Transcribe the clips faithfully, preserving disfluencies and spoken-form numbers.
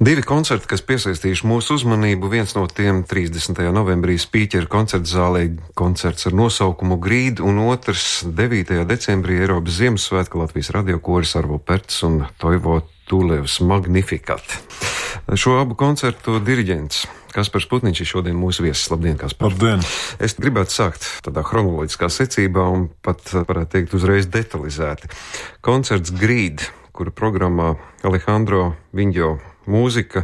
Divi koncerti, kas piesaistījuši mūsu uzmanību, viens no tiem trīsdesmitajā novembrī Spīķera koncerta zālē koncerts ar nosaukumu Grīd, un otrs devītajā decembrī Eiropas Ziemassvētku Latvijas radiokoris Arvo Perts un Toivo Tūlevs Magnificat. Šo abu koncertu diriģents Kaspars Putniņš ir šodien mūsu viesis. Labdien, Kaspar! Labdien! Es gribētu sākt tādā chronoloģiskā secībā un pat, varētu teikt, uzreiz detalizēti. Koncerts Grīd, kura programmā Alejandro Viņo mūzika.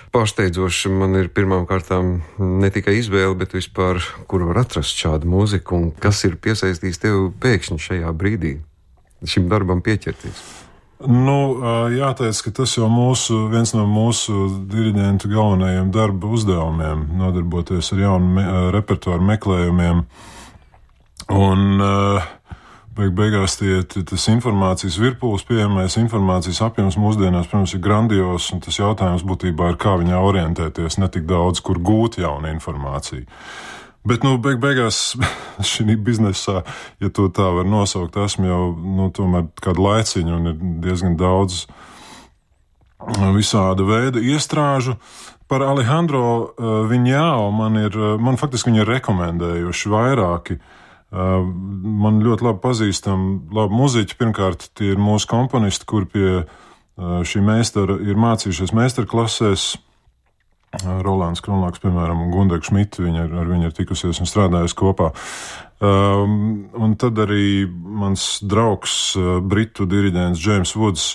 Pārsteidzoši man ir pirmām kārtām ne tikai izvēle, bet vispār, kur var atrast šādu mūziku un kas ir piesaistījis tev pēkšņi šajā brīdī šim darbam pieķerties. Nu, jāteic, ka tas jau mūsu, viens no mūsu diriģentu galvenajiem darba uzdevumiem - nodarboties ar jaunu me, repertuāru meklējumiem. Un beig beigās tie, tas informācijas virpulis, pieejamais informācijas apjoms mūsdienās, protams, ir grandios, un tas jautājums būtībā ir, kā viņā orientēties, ne tik daudz, kur gūt jaunu informāciju. Bet, nu, beig beigās šī biznesā, ja to tā var nosaukt, esmu jau, nu, tomēr kādu laiciņu un ir diezgan daudz visāda veida iestrāžu. Par Alejandro Viņo man ir, man faktiski viņi ir rekomendējuši vairāki. Man ļoti labi pazīstam labi muziķi. Pirmkārt, tie ir mūsu komponisti, kur pie šī meistara ir mācījušies meistarklasēs. Rolands Kronlāks, piemēram, un Gundega Šmita, viņi ar, ar viņu ir tikusies un strādājusi kopā. Um, un tad arī mans draugs, britu diriģents James Woods,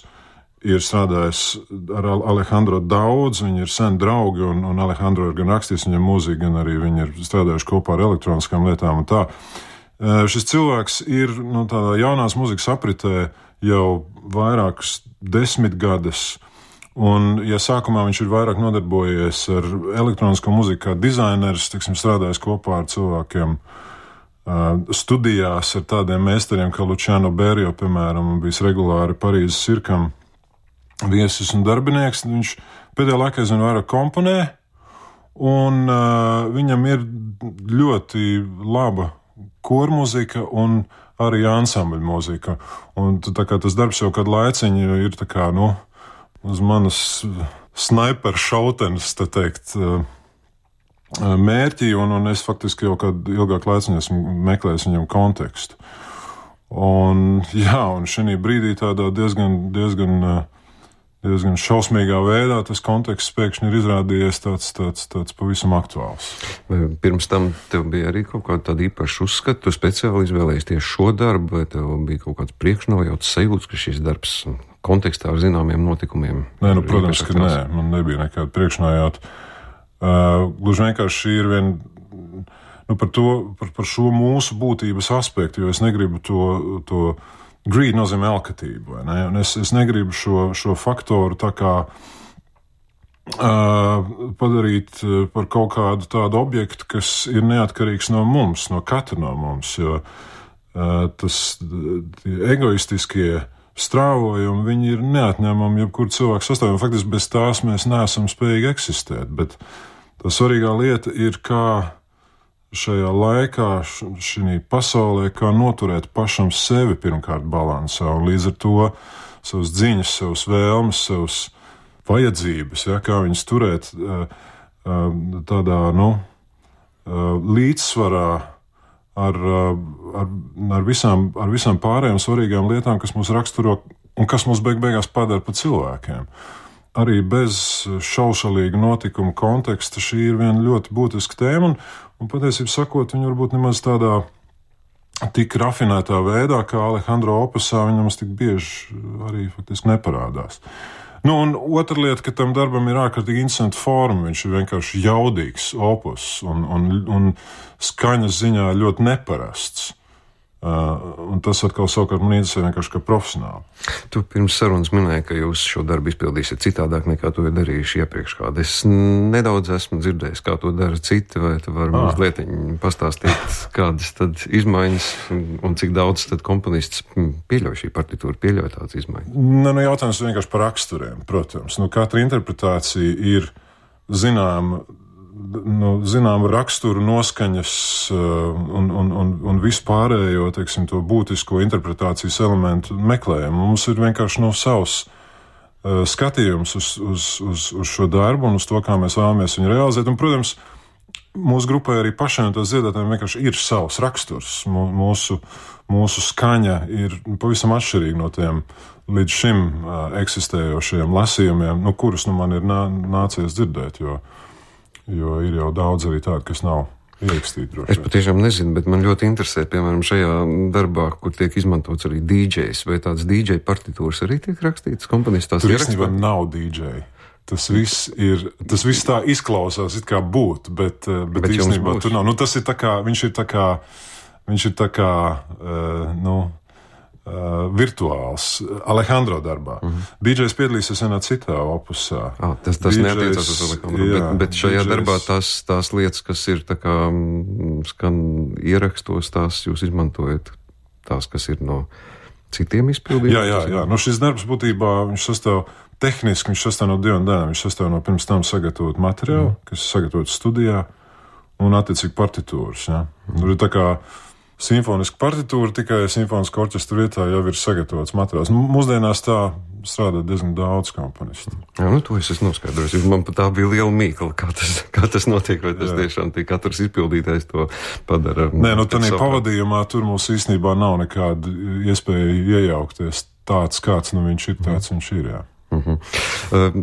ir strādājis ar Alejandro daudz, viņi ir sen draugi, un, un Alejandro ir gan rakstījis viņam mūziku, gan arī viņi ir strādājuši kopā ar elektroniskām lietām un tā. Uh, šis cilvēks ir, nu, tādā jaunās mūzikas apritē jau vairākas desmitgades. Un, ja sākumā viņš ir vairāk nodarbojies ar elektronisko mūziku kā dizainers, tiksim, strādājis kopā ar cilvēkiem uh, studijās ar tādiem meistariem kā Luciano Berio, piemēram, un bijis regulāri Parīzes cirkam viesis un darbinieks, viņš pēdējā laikā aizvien vairāk komponē, un uh, viņam ir ļoti laba kormūzika un arī ansambļu mūzika. Un tā kā tas darbs jau kādu laiciņu ir tā kā, nu, uz manas snaiperu šautenes, tā teikt, mērķi, un, un es faktiski jau kādu ilgāku laiciņu esmu meklējis viņam kontekstu. Un, jā, un šī brīdī tādā diezgan, diezgan, diezgan šausmīgā veidā tas konteksts pēkšņi ir izrādījies tāds, tāds, tāds pavisam aktuāls. Vai pirms tam tev bija arī kaut kāda tāda īpaša uzskata, tu speciāli izvēlējies tieši šo darbu, vai tev bija kaut kāds priekšnojauts sajūts, ka šis darbs kontekstā ar zināmiem notikumiem? Nē, nu, protams, ka nē, man nebija nekāda priekšnojauta. Uh, gluži vienkārši šī ir vien, nu, par to, par, par šo mūsu būtības aspektu, jo es negribu to, to greed nozīmē alkatību, vai ne? Un es, es negribu šo, šo faktoru tā kā uh, padarīt par kaut kādu tādu objektu, kas ir neatkarīgs no mums, no katra no mums, jo uh, tas egoistiskie strāvojumi, viņi ir neatņemami jebkuru cilvēku sastāvdaļu. Faktiski bez tās mēs neesam spējīgi eksistēt, bet tā svarīgā lieta ir, kā šajā laikā, šī pasaulē, kā noturēt pašam sevi pirmkārt balansā, un līdz ar to savas dziņas, savas vēlmes, savas vajadzības, ja, kā viņas turēt tādā, nu, līdzsvarā Ar, ar, ar, visām, ar visām pārējām svarīgām lietām, kas mūs raksturo un kas mūs beig beigās padara par cilvēkiem. Arī bez šaušalīga notikuma konteksta šī ir viena ļoti būtiska tēma, un, un patiesībā sakot, viņa varbūt nemaz tādā tik rafinētā veidā, kā Alejandro opusā, viņa mums tik bieži arī faktiski neparādās. Nu, un otra lieta, ka tam darbam ir ārkārtīgi interesanta forma, viņš ir vienkārši jaudīgs opus un, un, un skaņas ziņā ļoti neparasts. Uh, un tas atkal savukārt man interesē vienkārši kā profesionāli. Tu pirms sarunas minēji, ka jūs šo darbu izpildīsiet citādāk nekā to ir darījuši iepriekš kādu. Es nedaudz esmu dzirdējis, kā to dara citi, vai tu vari ah. mazliet pastāstīt, kādas tad izmaiņas un, un cik daudz tad komponists pieļauj šī partitūra, pieļauj tādas izmaiņas? Ne, nu, jautājums vienkārši par raksturiem, protams. Nu, katra interpretācija ir zināma, nu, zinām raksturu, noskaņas un, un, un, un vispārējo, teiksim, to būtisko interpretācijas elementu meklējumu. Mums ir vienkārši no savs uh, skatījums uz, uz, uz, uz šo darbu un uz to, kā mēs vēlamies viņu realizēt. Un, protams, mūsu grupai arī pašiem tos dziedātājiem vienkārši ir savs raksturs. Mūsu, mūsu skaņa ir pavisam atšķirīga no tiem līdz šim uh, eksistējošajiem lasījumiem, nu, kurus nu, man ir nā, nācies dzirdēt, jo, jo ir jau daudz arī tādu, kas nav ierakstīti droši. Es patiešām nezinu, bet man ļoti interesē, piemēram, šajā darbā, kur tiek izmantots arī dī džejs, vai tāds dī džeja partitūras arī tiek rakstīts komponistās? Tur īstenībā nav dī džeja. Tas viss ir, tas viss tā izklausās, it kā būtu, bet, bet, bet īstenībā tur nav. Nu, tas ir tā kā, viņš ir tā kā, viņš ir tā kā, uh, nu, uh, virtuāls Alejandro darbā. Mm-hmm. dī džejs piedalīsies vienā citā opusā. Ah, tas tas neatiecās uz Alejandro, jā, bet, bet šajā dī džejs... darbā tās, tās lietas, kas ir tā kā skan ierakstos, tās jūs izmantojat, tās, kas ir no citiem izpildījumiem? Jā, jā, jā. Nu, šis darbs būtībā, viņš sastāv tehniski, viņš sastāv no divām daļām. Viņš sastāv no pirms tam sagatavot materiālu, mm. kas ir sagatavots studijā, un attiecīgi partitūras. Ja. Mm. Tur ir tā kā simfoniska partitūra, tikai simfoniska orķestra vietā jau ir sagatavots materiāls. Nu, mūsdienās tā strādā diezgan daudz komponistu. Jā, nu to es esmu noskaidrojis. Man pat tā bija liela mīkla, kā tas, kā tas notiek, vai tas jā. Tiešām tie katrs izpildītājs to padara. Nē, nu tādā pavadījumā tur mums īstenībā nav nekāda iespēja iejaukties. Tāds, kāds nu viņš ir, tāds mm. viņš ir, jā. Uh-huh. Uh,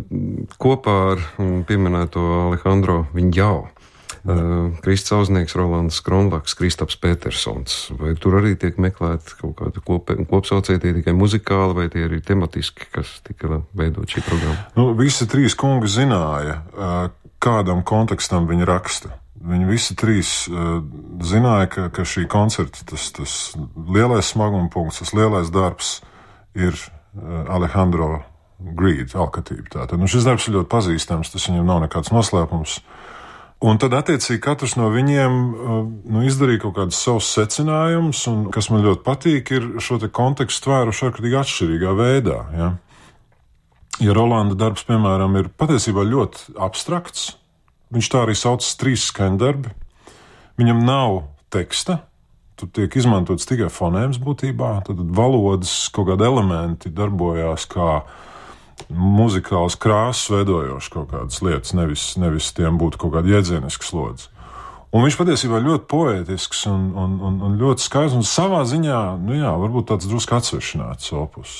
kopā ar pieminēto Alejandro Viņjao, uh, Kristis Auznieks, Rolands Kronlaks, Kristaps Petersons. Vai tur arī tiek meklēt kaut kāda kop, kopsaucēja, tie tikai muzikāli, vai tie arī tematiski, kas tika veidot šī programma? Nu, visi trīs kungi zināja, uh, kādam kontekstam viņi raksta. Viņi visi trīs uh, zināja, ka, ka šī koncerta, tas, tas lielais smaguma punkts, tas lielais darbs ir uh, Alejandro Greed, alkatība. Tātad, nu, šis darbs ir ļoti pazīstams, tas viņam nav nekāds noslēpums. Un tad, attiecīgi, katrs no viņiem nu, izdarīja kaut kādus savus secinājumus, un, kas man ļoti patīk, ir šo te kontekstu tvēruši ārkārtīgi atšķirīgā veidā. Ja, ja Rolanda darbs, piemēram, ir patiesībā ļoti abstrakts, viņš tā arī saucas trīs skaņdarbi, viņam nav teksta, tur tiek izmantots tikai fonēms būtībā, tad valodas kaut kādi elementi darbojās kā muzikāls krāsas veidojoši kaut kādas lietas, nevis, nevis tiem būtu kaut kāda jēdzieniska slodze. Un viņš patiesībā ļoti poētisks un, un, un, un ļoti skaists, un savā ziņā, nu jā, varbūt tāds drusku atsvešināts opus.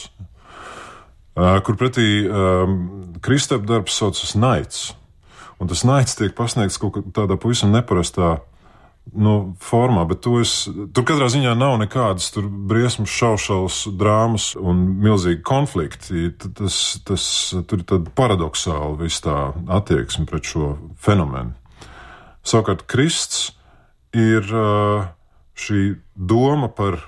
Uh, kur pretī um, Kristapa darbs saucas Nights, un tas Nights tiek pasniegts kaut tādā pavisam neparastā nu, formā, bet to es, tur katrā ziņā nav nekādas tur briesmas, šaušalas, drāmas un milzīgi konflikti. Tas, tas, tur ir tāda paradoxāla viss tā attieksme pret šo fenomenu. Savukārt Krists ir šī doma par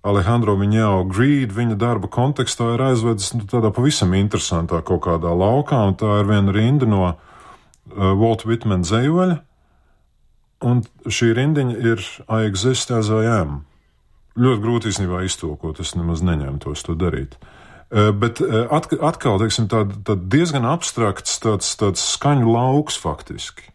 Alejandro Viņjao Greed, viņa darba kontekstā ir aizvedis nu, tādā pavisam interesantā kaut kādā laukā, un tā ir viena rinda no uh, Walt Whitman dzejoļa. Un šī rindiņa ir I exist as I am. Ļoti grūti īstenībā iztulkot, es nemaz neņemtos to darīt. Uh, bet uh, atkal, teiksim, tād, tād diezgan abstrakts tāds, tāds skaņu lauks faktiski,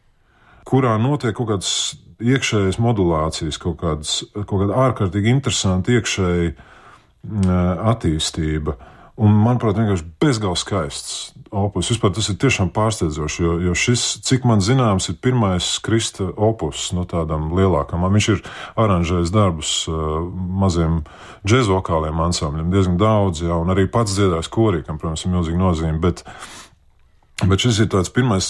kurā notiek kaut kādas iekšējas modulācijas, kaut kādas, kaut kāda ārkārtīgi interesanta iekšēja uh, attīstība. Un, manuprāt, vienkārši bezgalīgi skaists opus. Vispār tas ir tiešām pārsteidzoši, jo, jo šis, cik man zināms, ir pirmais Krista opus no tādām lielākām. Viņš ir aranžējis darbus uh, maziem džēzvokāliem ansambļiem, diezgan daudz, jā, un arī pats dziedājis korī, kam, protams, ir milzīga nozīme, bet, bet šis ir tāds pirmais,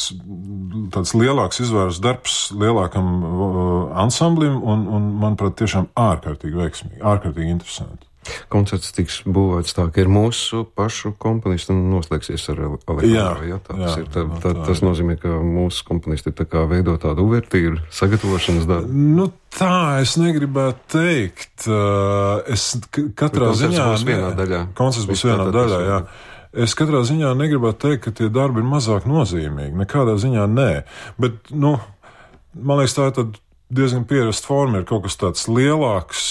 tāds lielāks izvērs darbs lielākam uh, ansamblim, un, un, manuprāt, tiešām ārkārtīgi veiksmīgi, ārkārtīgi interesanti. Koncerts tiks būvēts tā, ka ir mūsu pašu komponisti un noslēgsies ar Alejandro. Jā, jā, tā, jā, ir, tā, tā, tā, tas nozīmē, ka mūsu komponisti tā kā veido tādu uvertīru, sagatavošanas darbu. Nu tā, es negribētu teikt. Es katrā koncerts ziņā... Koncerts būs vienā daļā. Koncerts būs vienā daļā, jā. Es katrā ziņā negribētu teikt, ka tie darbi ir mazāk nozīmīgi. Nekādā ziņā nē. Bet, nu, man liekas, tā ir tad diezgan pierasta forma, ir kaut kas tāds lielāks,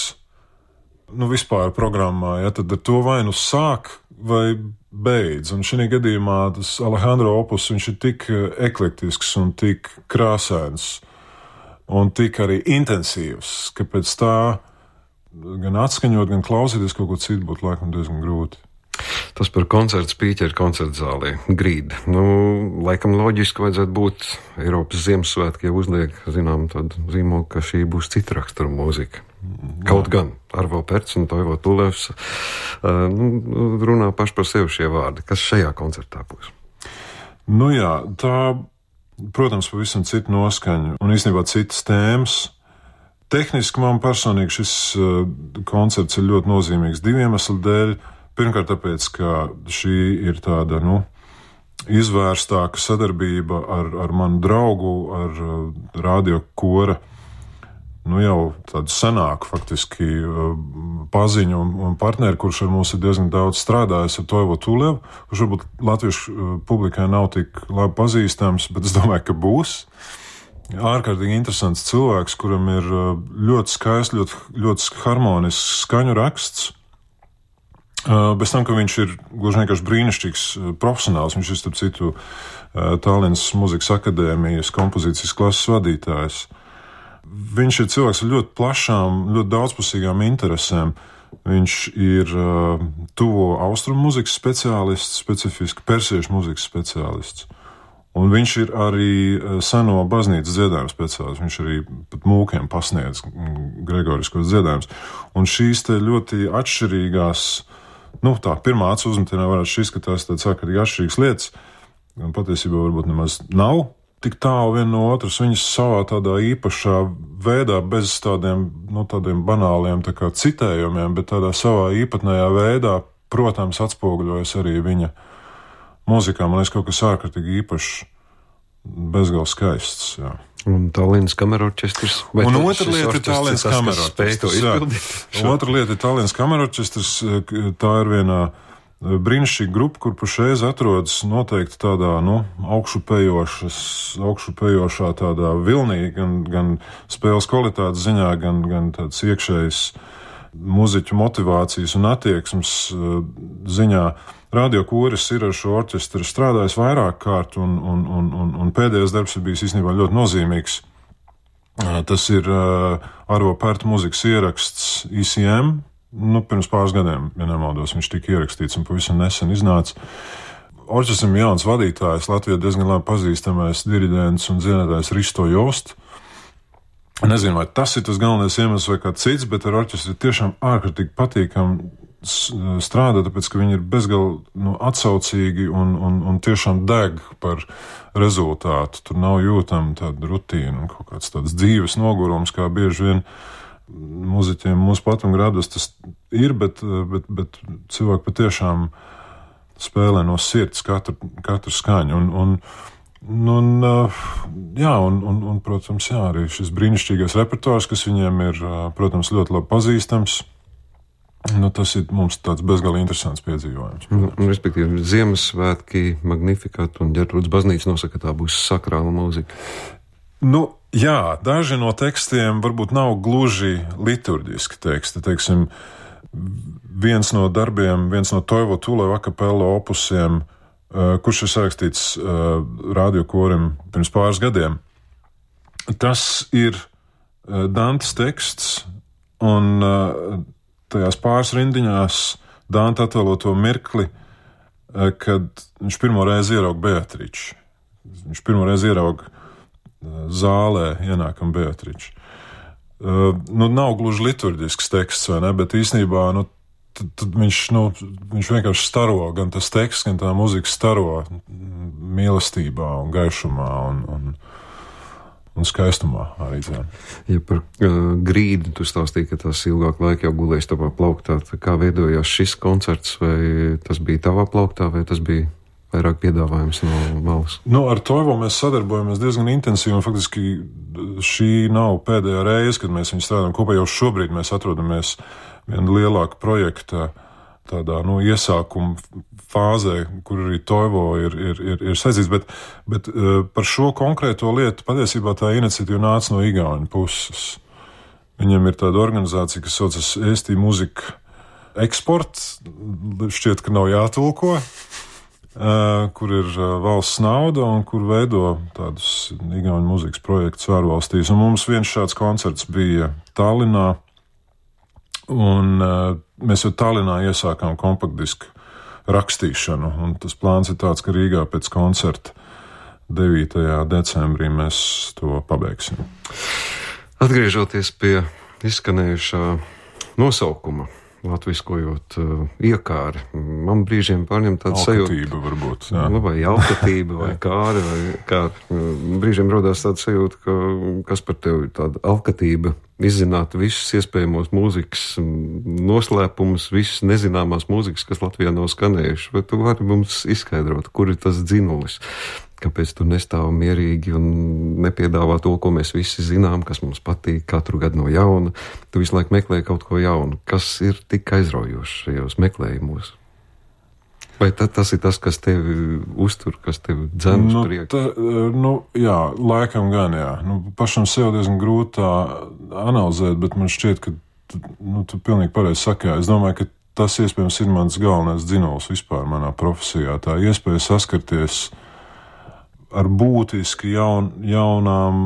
nu, vispār programmā, ja, tad ar to vai nu sāk vai beidz. Un šī gadījumā tas Alejandro opus, viņš ir tik eklektisks un tik krāsains un tik arī intensīvs, ka pēc tā gan atskaņot, gan klausīties kaut ko citu būtu laikam diezgan grūti. Tas par koncertu spīķeru koncertu zālē. Grīd. Nu, laikam loģiski vajadzētu būt Eiropas Ziemassvētki, ja uzliek, zinām, tādu zīmogu, ka šī būs cita rakstura mūzika. Kaut gan Arvo Perts un Toivo Tulevs uh, nu, runā paši par sevi šie vārdi. Kas šajā koncertā būs? Nu jā, tā, protams, pavisam cita noskaņa un īstenībā citas tēmas. Tehniski man personīgi šis uh, koncerts ir ļoti nozīmīgs diviem iemeslu dēļ. Pirmkārt, tāpēc, ka šī ir tāda, nu, izvērstāka sadarbība ar, ar manu draugu, ar uh, radio kora, nu, jau tādu senāku, faktiski, uh, paziņu un, un partneri, kurš ar mums ir diezgan daudz strādājis, ar Toivo Tulevu, kurš varbūt latviešu uh, publikai nav tik labi pazīstams, bet es domāju, ka būs. Ārkārtīgi interesants cilvēks, kuram ir uh, ļoti skaists, ļoti, ļoti harmonisks skaņu raksts. Uh, bez tam, ka viņš ir gluži vienkārši brīnišķīgs uh, profesionāls, viņš ir, starp citu, uh, Tallinas Mūzikas akadēmijas kompozīcijas klases vadītājs. Viņš ir cilvēks ar ļoti plašām, ļoti daudzpusīgām interesēm. Viņš ir uh, tuvo austrumu mūzikas speciālists, specifiski persiešu mūzikas speciālists. Un viņš ir arī uh, seno baznīcas dziedājumu speciālists. Viņš arī pat mūkiem pasniedz gregoriskos dziedājumus. Un šīs te ļoti atšķirīgās, nu, tā pirmā acu uzmetienā varētu šis, ka tās tādas ārkārtīgi atšķirīgas lietas, un patiesībā varbūt nemaz nav tik tālu viena no otras. Viņas savā tādā īpašā veidā, bez tādiem, nu, tādiem banāliem tā kā citējumiem, bet tādā savā īpatnējā veidā, protams, atspoguļojas arī viņa mūzikā. Man liekas, kaut kas ārkārtīgi īpašs, bezgalīgi skaists, jā. Un Tallinas kamerorķestris. Un otra lieta ir Tallinas kamerorķestris. Otra lieta ir Tallinas kamerorķestris. Tā ir vienā brīnišķīga grupa, kur pašreiz atrodas noteikti tādā, nu, augšupejošas, augšupejošā tādā vilnī, gan, gan spēles kvalitātes ziņā, gan, gan tāds iekšējs muziķu motivācijas un attieksmes ziņā. Radio koris ir ar šo orķestru strādājis vairāk kārt, un, un, un, un, un pēdējais darbs ir bijis īstenībā ļoti nozīmīgs. Tas ir uh, Arvo Perta mūzikas ieraksts I C M. Nu, pirms pāris gadiem, ja nemaldos, viņš tika ierakstīts un pavisam nesen iznāca. Orķestram jauns vadītājs, Latvijā diezgan labi pazīstamais diriģents un dziedātājs Risto Jost. Nezinu, vai tas ir tas galvenais iemesls vai kā cits, bet ar orķestri tiešām ārkārtīgi patīkam strādā, tāpēc, ka viņi ir bezgalīgi, nu, atsaucīgi un, un, un tiešām deg par rezultātu. Tur nav jūtama tāda rutīna un kaut kāds tāds dzīves nogurums, kā bieži vien muziķiem mūsu platumgrādos tas ir, bet, bet, bet cilvēki patiešām spēlē no sirds katru, katru skaņu. Un, un, un, jā, un, un, un, protams, jā, arī šis brīnišķīgais repertuārs, kas viņiem ir, protams, ļoti labi pazīstams. Nu, tas ir mums tāds bezgalīgi interesants piedzīvojums. Nu, respektīvi, Ziemassvētki, Magnificat un Ģertrūdas baznīca nosaka, ka tā būs sakrāla mūzika. Nu, jā, daži no tekstiem varbūt nav gluži liturģiski teksti. Teiksim, viens no darbiem, viens no Toivo Tuleva akapella opusiem, uh, kurš ir sarakstīts uh, radio korim pirms pāris gadiem, tas ir uh, Dantes teksts, un uh, tajās pāris rindiņās Dante attēlo to mirkli, kad viņš pirmo reizi ieraug Beatriču. Viņš pirmo reizi ieraug zālē ienākam Beatriču. Nu, nav gluži liturģisks teksts, vai ne, bet īstenībā, nu, tad, tad viņš, nu, viņš vienkārši staro, gan tas teksts, gan tā muzika staro mīlestībā un gaišumā un, un un skaistumā arī tā. Ja par uh, grīdu tu stāstīji, ka tas ilgāk laika jau gulējis tavā plauktā, kā veidojās šis koncerts, vai tas bija tavā plauktā, vai tas bija vairāk piedāvājums no malas? Nu, ar Toivo mēs sadarbojamies diezgan intensīvi, un faktiski šī nav pēdējā reize, kad mēs viņu strādājam kopā. Jau šobrīd mēs atrodamies viena lielāka projekta tādā, nu, iesākuma fāzē, kur arī Toivo ir, ir, ir, ir saistīts, bet, bet uh, par šo konkrēto lietu patiesībā tā iniciatīva nāca no Igauņu puses. Viņiem ir tāda organizācija, kas saucas Eesti Mūzika Eksport, šķiet, ka nav jātulko, uh, kur ir uh, valsts nauda un kur veido tādus Igauņu mūzikas projektus ārvalstīs. Un mums viens šāds koncerts bija Tallinā, un uh, mēs jau Tallinā iesākām kompaktdisku rakstīšanu. Un tas plāns ir tāds, ka Rīgā pēc koncerta devītajā decembrī mēs to pabeigsim. Atgriežoties pie izskanējušā nosaukuma, latviskojot uh, iekāri, man brīžiem pārņem tāda sajūta. Alkatība varbūt, jā. Vai alkatība, vai kāri, vai kā. Brīžiem rodās tāda sajūta, ka kas par tevi tāda alkatība izzināt visus iespējamos mūzikas noslēpumus, visas nezināmās mūzikas, kas Latvijā nav skanējuši. Vai tu vari mums izskaidrot, kur ir tas dzinulis? Kāpēc tu nestāv mierīgi un nepiedāvā to, ko mēs visi zinām, kas mums patīk katru gadu no jauna? Tu visu laiku meklē kaut ko jaunu. Kas ir tik aizraujošs šajos meklējumos? Vai ta, tas ir tas, kas tevi uztur, kas tevi dzen uz nu, priekšu? Ta, nu, jā, laikam gan, jā. Nu, pašam sev diezgan grūti tā analizēt, bet man šķiet, ka nu, tu pilnīgi pareizi saki, jā. Es domāju, ka tas iespējams ir mans galvenais dzinulis vispār manā profesijā. Tā iespēja saskarties ar būtiski jaun, jaunām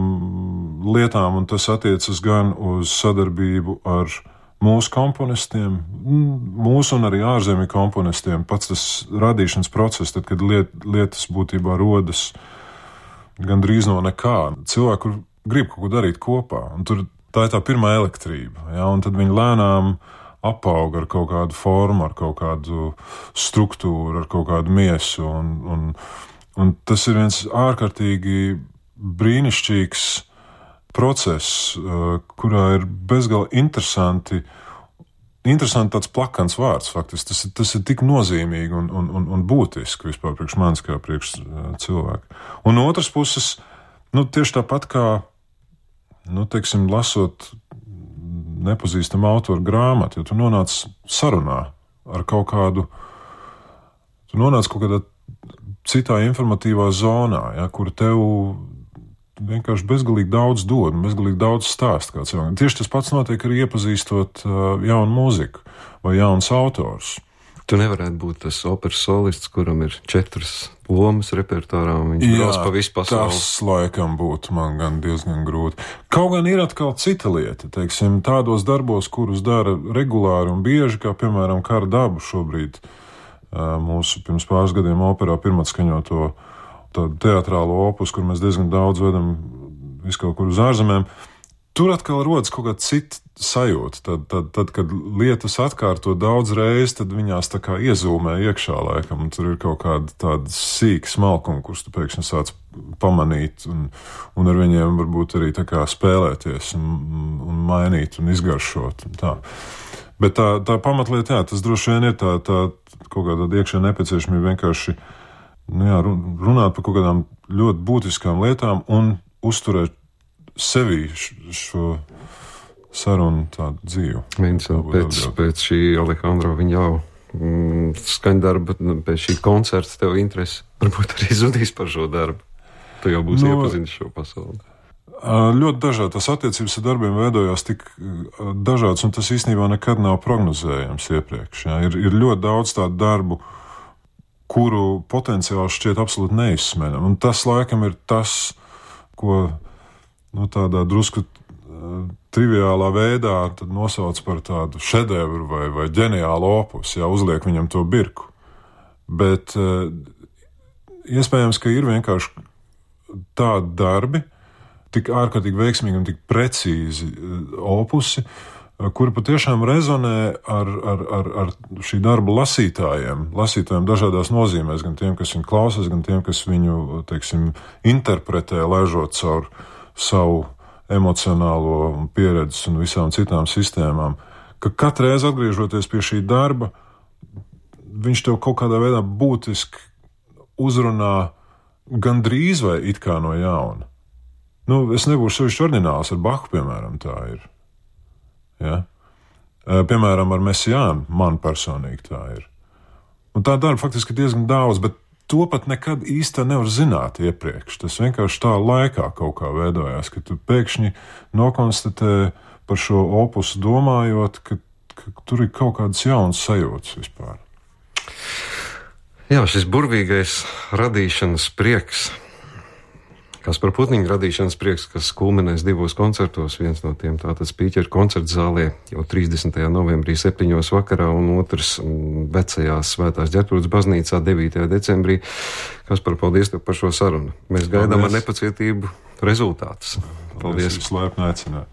lietām, un tas attiecas gan uz sadarbību ar mūsu komponistiem, mūsu un arī ārzemju komponistiem. Pats tas radīšanas process, tad, kad liet, lietas būtībā rodas gandrīz no nekā. Cilvēki, kur grib kaut ko darīt kopā, un tur tā ir tā pirmā elektrība, ja, un tad viņi lēnām apauga ar kaut kādu formu, ar kaut kādu struktūru, ar kaut kādu miesu, un, un Un tas ir viens ārkārtīgi brīnišķīgs process, kurā ir bezgalīgi interesanti, interesanti tāds plakans vārds, faktiski. Tas, tas ir tik nozīmīgi un, un, un, un būtiski vispār priekš manis kā priekš cilvēku. Un no otras puses, nu, tieši tāpat kā, nu, teiksim, lasot nepazīstamu autoru grāmatu, jo tu nonāc sarunā ar kaut kādu, tu nonāc kaut kādā citā informatīvā zonā, ja, kur tev vienkārši bezgalīgi daudz dod, bezgalīgi daudz stāst kā cilvēkam. Tieši tas pats notiek arī iepazīstot uh, jaunu mūziku vai jauns autors. Tu nevarētu būt tas operas solists, kuram ir četras lomas repertuārā, un viņš brauc pa visu pasauli. Tas laikam būtu man gan diezgan grūti. Kaut gan ir atkal cita lieta, teiksim, tādos darbos, kurus dara regulāri un bieži, kā piemēram Kara dabu šobrīd, mūsu pirms pāris gadiem operā pirmatskaņoto tādu teatrālo opus, kur mēs diezgan daudz vedam visu kaut kur uz ārzemēm. Tur atkal rodas kaut kāda cita sajūta. Tad, tad, tad, kad lietas atkārto daudz reiz, tad viņās tā kā iezūmē iekšā laikam, un tur ir kaut kāda tāda sīka smalkuma, kurus tu pēkšņi sāc pamanīt, un, un ar viņiem varbūt arī tā kā spēlēties, un, un mainīt, un izgaršot, un tā. Bet tā, tā pamatlieta, jā, tas droši vien ir tā, tā kaut kāda iekšēja nepieciešamība vienkārši, nu jā, runāt par kaut kādām ļoti būtiskām lietām un uzturēt sevī šo sarunu tādu dzīvu. Viens pēc, pēc šī Alejandro Viņao mm, skaņdarba, pēc šī koncerta tev interesi varbūt arī zudīs par šo darbu. Tu jau būsi no, iepazinis šo pasauli. Ļoti dažādi. Tas attiecības ar darbiem veidojās tik dažāds, un tas īstenībā nekad nav prognozējams iepriekš. Ja? Ir, ir ļoti daudz tādu darbu, kuru potenciāli šķiet absolūti neizsmenam. Un tas laikam ir tas, ko nu, tādā drusku triviālā veidā tad nosauc par tādu šedevru vai, vai ģeniālu opus, ja uzliek viņam to birku. Bet iespējams, ka ir vienkārši tādi darbi, tik ārkārtīgi veiksmīgi un tik precīzi opusi, kuri patiešām rezonē ar, ar, ar, ar šī darba lasītājiem, lasītājiem dažādās nozīmēs, gan tiem, kas viņu klausās, gan tiem, kas viņu, teiksim, interpretē, laižot caur savu emocionālo pieredzi un visām citām sistēmām, ka katreiz atgriežoties pie šī darba, viņš tev kaut kādā veidā būtiski uzrunā gandrīz vai it kā no jauna. Nu, es nebūšu sevišķi ordināls ar Bahu, piemēram, tā ir. Ja? Piemēram, ar Mesiānu man personīgi tā ir. Un tā darba faktiski ir diezgan daudz, bet to pat nekad īsti nevar zināt iepriekš. Tas vienkārši tā laikā kaut kā veidojās, ka tu pēkšņi nokonstatē par šo opusu domājot, ka, ka tur ir kaut kādas jaunas sajūtas vispār. Jā, šis burvīgais radīšanas prieks, Kaspar Putniņa radīšanas prieks, kas kulminēs divos koncertos, viens no tiem tātad Spīķeru koncerta zālē jau trīsdesmitajā novembrī septiņos vakarā un otrs vecajā Svētās Ģertrūdes baznīcā devītajā decembrī. Kaspar, paldies tev par šo sarunu. Mēs gaidām paldies. Ar nepacietību rezultātus. Paldies. Paldies. Jūs laipni aicināt.